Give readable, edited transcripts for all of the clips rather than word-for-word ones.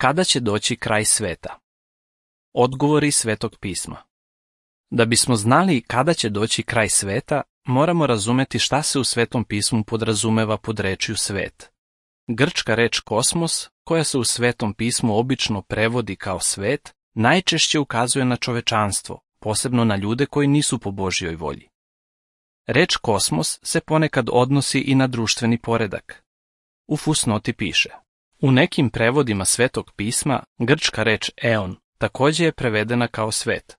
Kada će doći kraj sveta? Odgovori Svetog pisma. Da bismo znali kada će doći kraj sveta, moramo razumeti šta se u Svetom pismu podrazumeva pod rečju svet. Grčka reč kosmos, koja se u Svetom pismu obično prevodi kao svet, najčešće ukazuje na čovečanstvo, posebno na ljude koji nisu po Božjoj volji. Reč kosmos se ponekad odnosi i na društveni poredak. U fusnoti piše: u nekim prevodima Svetog pisma grčka reč eon također je prevedena kao svet.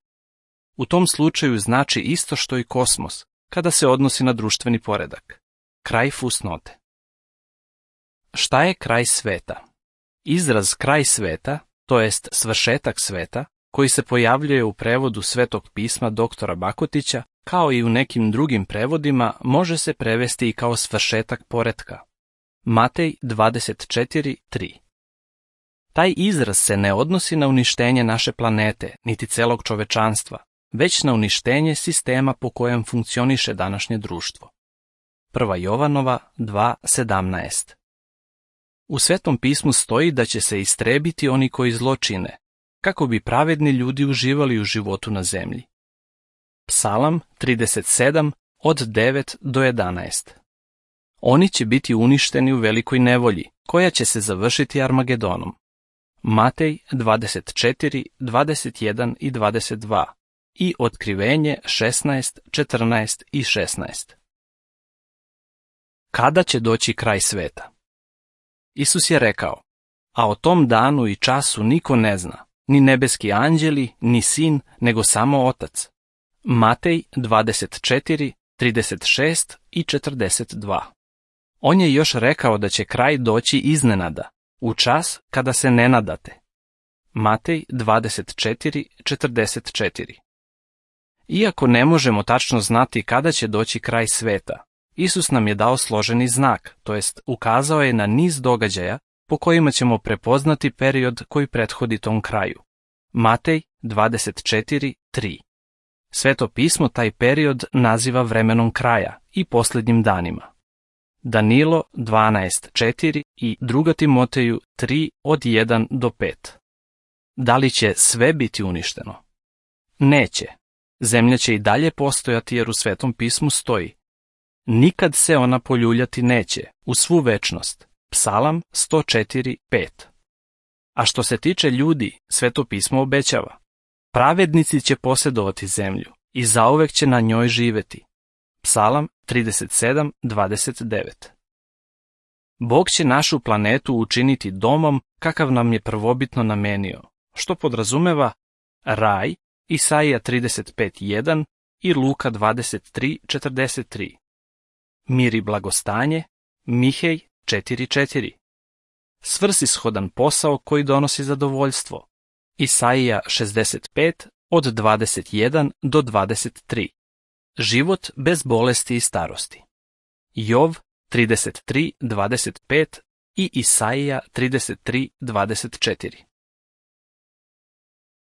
U tom slučaju znači isto što i kosmos, kada se odnosi na društveni poredak. Kraj fusnote. Šta je kraj sveta? Izraz kraj sveta, to jest svršetak sveta, koji se pojavljuje u prevodu Svetog pisma doktora Bakotića, kao i u nekim drugim prevodima, može se prevesti i kao svršetak poretka. Matej 24:3. Taj izraz se ne odnosi na uništenje naše planete, niti celog čovečanstva, već na uništenje sistema po kojem funkcioniše današnje društvo. 1. Jovanova 2:17. U Svetom pismu stoji da će se istrebiti oni koji zlo čine, kako bi pravedni ljudi uživali u životu na zemlji. Psalam 37 od 9 do 11. Oni će biti uništeni u velikoj nevolji, koja će se završiti Armagedonom. Matej 24, 21 i 22 i Otkrivenje 16, 14 i 16. Kada će doći kraj sveta? Isus je rekao: a o tom danu i času niko ne zna, ni nebeski anđeli, ni sin, nego samo Otac. Matej 24, 36 i 42. On je još rekao da će kraj doći iznenada, u čas kada se ne nadate. Matej 24, 44. Iako ne možemo tačno znati kada će doći kraj sveta, Isus nam je dao složeni znak, to jest ukazao je na niz događaja po kojima ćemo prepoznati period koji prethodi tom kraju. Matej 24:3. Sveto pismo taj period naziva vremenom kraja i posljednjim danima. Danilo 12:4 i 2. Timoteju 3 od 1 do 5. Da li će sve biti uništeno? Neće. Zemlja će i dalje postojati jer u Svetom pismu stoji: nikad se ona poljuljati neće, u svu večnost. Psalam 104:5. A što se tiče ljudi, Sveto pismo obećava: pravednici će posjedovati zemlju i zauvek će na njoj živjeti. Psalam 37:29. Bog će našu planetu učiniti domom kakav nam je prvobitno namenio, što podrazumeva raj, Isaija 35:1 i Luka 23:43. Mir i blagostanje, Mihej 4:4. Svrsishodan posao koji donosi zadovoljstvo, Isaija 65 od 21 do 23. Život bez bolesti i starosti, Jov 33:25 i Isaija 33:24.